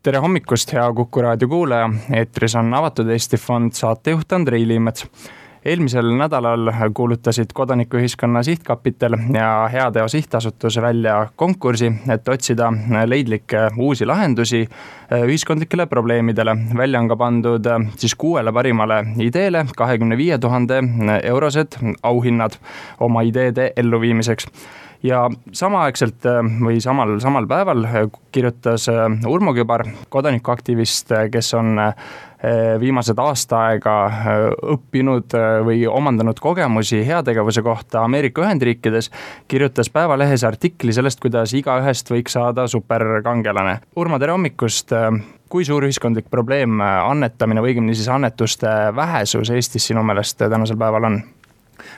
Tere hommikust, hea Kuku raadio kuulaja. Eetris on Avatud Eesti Fond saatejuht Andrei Liimets. Eelmisel nädalal kuulutasid Kodanikuühiskonna Sihtkapital ja Heateo Sihtasutus välja konkursi, et otsida leidlikke uusi lahendusi ühiskondlikele probleemidele. Välja on ka pandud siis 6 parimale ideele 25 000 eurosed auhinnad oma ideede elluviimiseks. Ja samaaegselt või samal päeval kirjutas Urmo Kübar, kodanikuaktivist, kes on viimased aasta aega õppinud või omandanud kogemusi heategevuse kohta Ameerika Ühendriikides, kirjutas Päevalehes artikli sellest, kuidas igaühest võiks saada superkangelane. Urmo, tere hommikust! Kui suur ühiskondlik probleem annetamine või õigemini siis annetuste vähesus Eestis sinu meelest tänasel päeval on?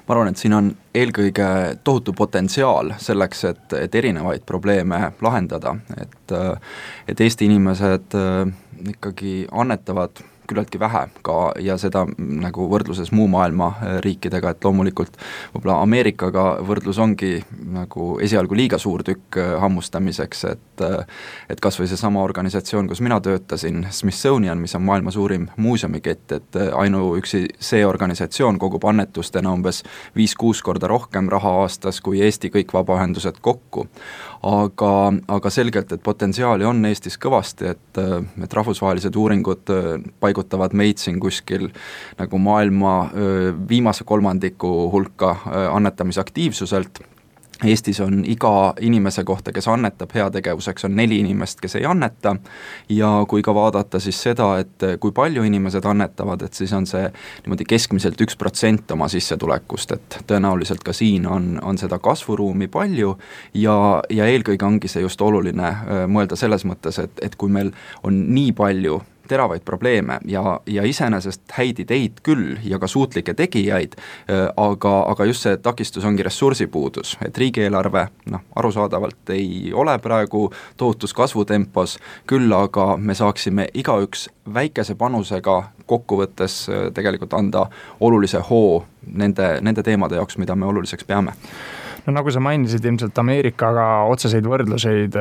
Ma arvan, et siin on eelkõige tohutu potentsiaal selleks, et erinevaid probleeme lahendada, et Eesti inimesed ikkagi annetavad küllaltki vähe ka ja seda nagu võrdluses muu maailma riikidega, et loomulikult võib-olla Ameerikaga võrdlus ongi nagu esialgu liiga suur tükk hammustamiseks, et kas või see sama organisatsioon, kus mina töötasin, Smithsonian, mis on maailma suurim muuseumikett, et ainuüksi see organisatsioon kogub annetustena umbes 5-6 korda rohkem raha aastas kui Eesti kõik vabaühendused kokku. Aga selgelt, et potentsiaali on Eestis kõvasti, et rahvusvahelised uuringud paigutavad meid siin kuskil nagu maailma viimase kolmandiku hulka annetamisaktiivsuselt. Eestis on iga inimese kohta, kes annetab heategevuseks, on 4 inimest, kes ei anneta, ja kui ka vaadata siis seda, et kui palju inimesed annetavad, et siis on see niimoodi keskmiselt 1% oma sissetulekust, et tõenäoliselt ka siin on seda kasvuruumi palju ja eelkõige ongi see just oluline mõelda selles mõttes, et kui meil on nii palju teravaid probleeme ja iseenesest häid ideid küll ja ka suutlikke tegijaid, aga just see takistus ongi ressursipuudus, et riigieelarve arusaadavalt ei ole praegu tohutus kasvutempos, küll aga me saaksime igaüks väikese panusega kokkuvõttes tegelikult anda olulise hoo nende teemade jaoks, mida me oluliseks peame. No nagu sa mainisid, ilmselt Ameerikaga otseseid võrdluseid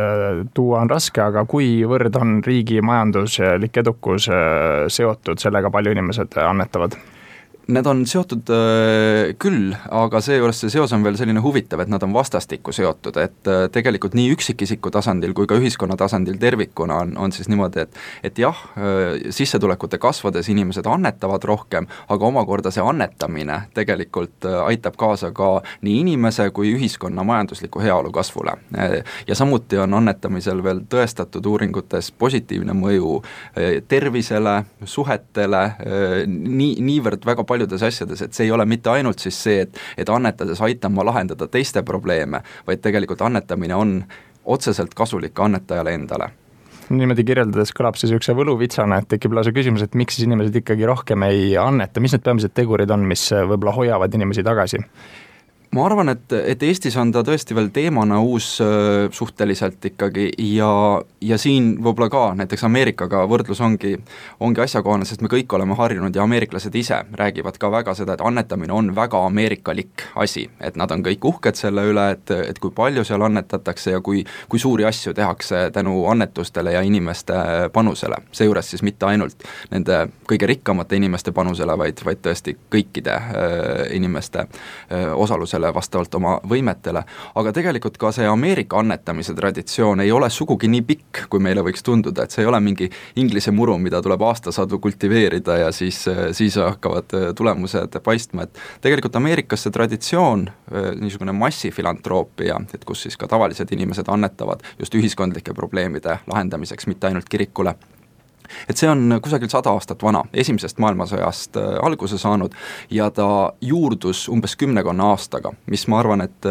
tuua on raske, aga kuivõrd on riigi majanduslik edukus seotud sellega, palju inimesed annetavad? Need on seotud küll, aga seejuures see seos on veel selline huvitav, et nad on vastastikku seotud, et tegelikult nii üksikisiku tasandil kui ka ühiskonna tasandil tervikuna on siis niimoodi, et jah, sissetulekute kasvades inimesed annetavad rohkem, aga omakorda see annetamine tegelikult aitab kaasa ka nii inimese kui ühiskonna majandusliku heaolu kasvule. Ja samuti on annetamisel veel tõestatud uuringutes positiivne mõju tervisele, suhetele, niivõrd väga paljudes asjades, et see ei ole mitte ainult siis see, et annetades aitama lahendada teiste probleeme, vaid tegelikult annetamine on otseselt kasulik annetajale endale. Niimoodi kirjeldades kõlab siis üks võluvitsana, et tekib lausa küsimus, et miks siis inimesed ikkagi rohkem ei anneta, mis need peamised tegurid on, mis võib-olla hoiavad inimesi tagasi? Ma arvan, et Eestis on ta tõesti veel teemana uus suhteliselt ikkagi ja siin võib-olla ka näiteks Ameerikaga võrdlus ongi asjakohane, sest me kõik oleme harjunud ja ameeriklased ise räägivad ka väga seda, et annetamine on väga ameerikalik asi, et nad on kõik uhked selle üle, et kui palju seal annetatakse ja kui suuri asju tehakse tänu annetustele ja inimeste panusele. Seejuures siis mitte ainult nende kõige rikkamate inimeste panusele, vaid tõesti kõikide inimeste osalusele vastavalt oma võimetele, aga tegelikult ka see Ameerika annetamise traditsioon ei ole sugugi nii pikk, kui meile võiks tunduda, et see ei ole mingi inglise muru, mida tuleb aastasadu kultiveerida ja siis hakkavad tulemused paistma, et tegelikult Ameerikas see traditsioon, niisugune massifilantroopia, et kus siis ka tavalised inimesed annetavad just ühiskondlike probleemide lahendamiseks, mitte ainult kirikule, et see on kusagil 100 aastat vana, esimesest maailmasõjast alguse saanud ja ta juurdus umbes 10 aastaga, mis ma arvan, et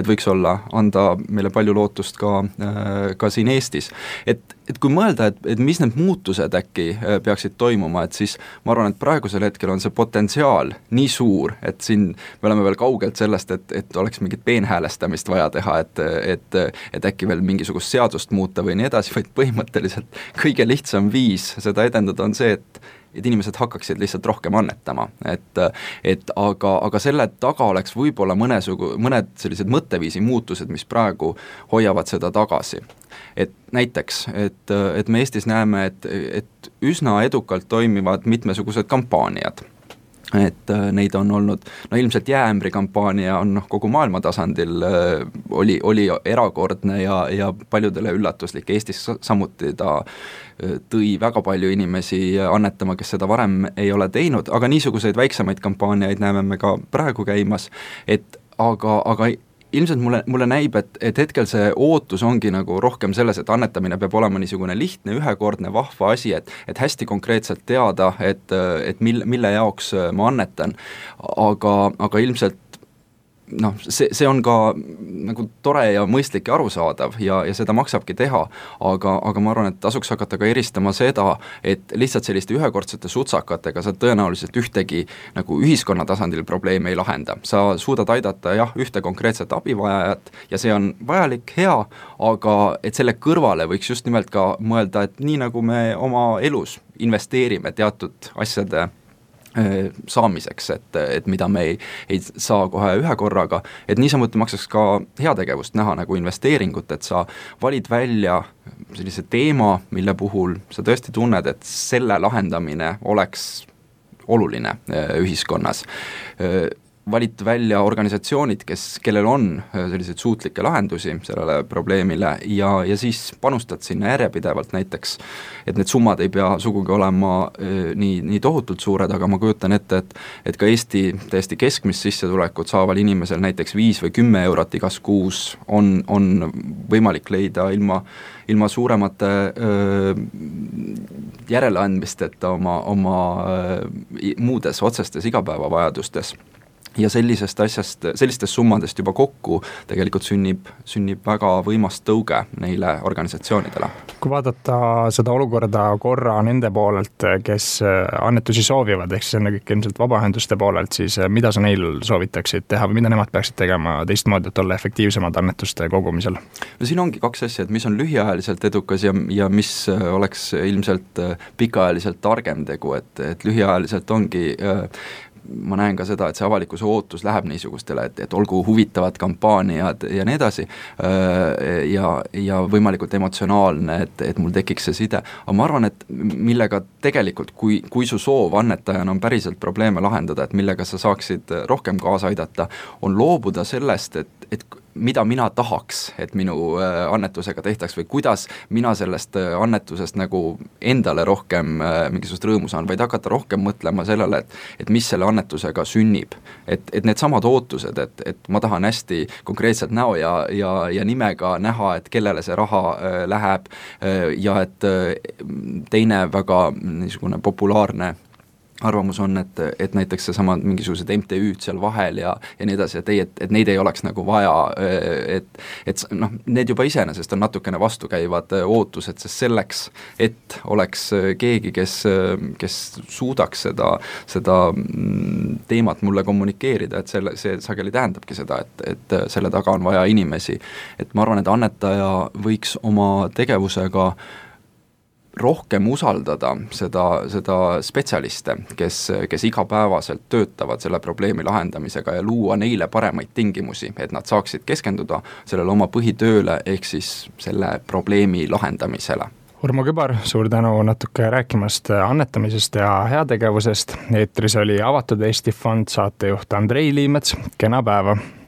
võiks anda meile palju lootust ka siin Eestis. Et kui mõelda, et mis need muutused äkki peaksid toimuma, et siis ma arvan, et praegusel hetkel on see potentsiaal nii suur, et siin me oleme veel kaugelt sellest, et oleks mingit peenhäälestamist vaja teha, et äkki veel mingisugust seadust muuta või nii edasi, vaid põhimõtteliselt kõige lihtsam viis seda edendada on see, et et inimesed hakkaksid lihtsalt rohkem annetama, aga selle taga oleks võib-olla mõned sellised mõtteviisi muutused, mis praegu hoiavad seda tagasi. Et näiteks, et me Eestis näeme, et üsna edukalt toimivad mitmesugused kampaaniad. Et neid on olnud, ilmselt jääämbri kampaania on kogu maailma tasandil oli erakordne ja paljudele üllatuslik. Eestis samuti ta tõi väga palju inimesi annetama, kes seda varem ei ole teinud, aga niisuguseid väiksemaid kampaaniaid näeme me ka praegu käimas, aga ilmselt mulle näib, et hetkel see ootus ongi nagu rohkem selles, et annetamine peab olema niisugune lihtne, ühekordne, vahva asi, et hästi konkreetselt teada, et mille jaoks ma annetan, aga ilmselt see on ka nagu tore ja mõistlik ja arusaadav ja seda maksabki teha, aga ma arvan, et tasuks hakata ka eristama seda, et lihtsalt selliste ühekordsete sutsakatega sa tõenäoliselt ühtegi nagu ühiskonna tasandil probleemi ei lahenda. Sa suudad aidata ühte konkreetset abivajajat ja see on vajalik, hea, aga et selle kõrvale võiks just nimelt ka mõelda, et nii nagu me oma elus investeerime teatud asjade saamiseks, et mida me ei saa kohe ühe korraga, et niisamuti maksaks ka heategevust näha nagu investeeringut, et sa valid välja sellise teema, mille puhul sa tõesti tunned, et selle lahendamine oleks oluline ühiskonnas. Valid välja organisatsioonid, kellel on selliseid suutlikke lahendusi sellele probleemile ja siis panustad sinna järjepidevalt näiteks, et need summad ei pea sugugi olema nii tohutult suured, aga ma kujutan ette, et ka Eesti täiesti keskmist sissetulekut saaval inimesel näiteks 5 või 10 eurot igas kuus on võimalik leida ilma suuremate järeleandmisteta oma muudes otsestes igapäevavajadustes. Ja sellistest summadest juba kokku tegelikult sünnib väga võimas tõuge neile organisatsioonidele. Kui vaadata seda olukorda korra nende poolelt, kes annetusi soovivad, ehk see on kõik ilmselt vabaühenduste poolelt, siis mida sa neil soovitaksid teha või mida nemad peaksid tegema teistmoodi, et olla efektiivsemad annetuste kogumisel? No siin ongi kaks asja, et mis on lühiajaliselt edukas ja mis oleks ilmselt pikaajaliselt targem tegu, et lühiajaliselt ongi ma näen ka seda, et see avalikkuse ootus läheb niisugustele, et olgu huvitavad kampaaniad ja nii edasi ja võimalikult emotsionaalne, et mul tekiks see side. Aga ma arvan, et millega tegelikult, kui su soov annetajana on päriselt probleeme lahendada, et millega sa saaksid rohkem kaasa aidata, on loobuda sellest, et mida mina tahaks, et minu annetusega tehtaks või kuidas mina sellest annetusest nagu endale rohkem mingisugust rõõmu saan, vaid hakata rohkem mõtlema sellele, et mis selle annetusega sünnib. Et need samad ootused, et ma tahan hästi konkreetselt näo ja nimega näha, et kellele see raha läheb ja et teine väga niisugune populaarne arvamus on, et näiteks seesama mingisugused MTÜ-d seal vahel ja nii edasi, et neid ei oleks nagu vaja, et need juba iseenesest on natukene vastukäivad ootused, sest selleks, et oleks keegi, kes suudaks seda teemat mulle kommunikeerida, et see sageli tähendabki seda, et selle taga on vaja inimesi. Et ma arvan, et annetaja võiks oma tegevusega rohkem usaldada seda spetsialiste, kes igapäevaselt töötavad selle probleemi lahendamisega ja luua neile paremaid tingimusi, et nad saaksid keskenduda sellele oma põhitööle ehk siis selle probleemi lahendamisele. Urmo Kübar, suur tänu natuke rääkimast annetamisest ja heategevusest. Eetris oli Avatud Eesti Fond saatejuht Andrei Liimets, kena päeva!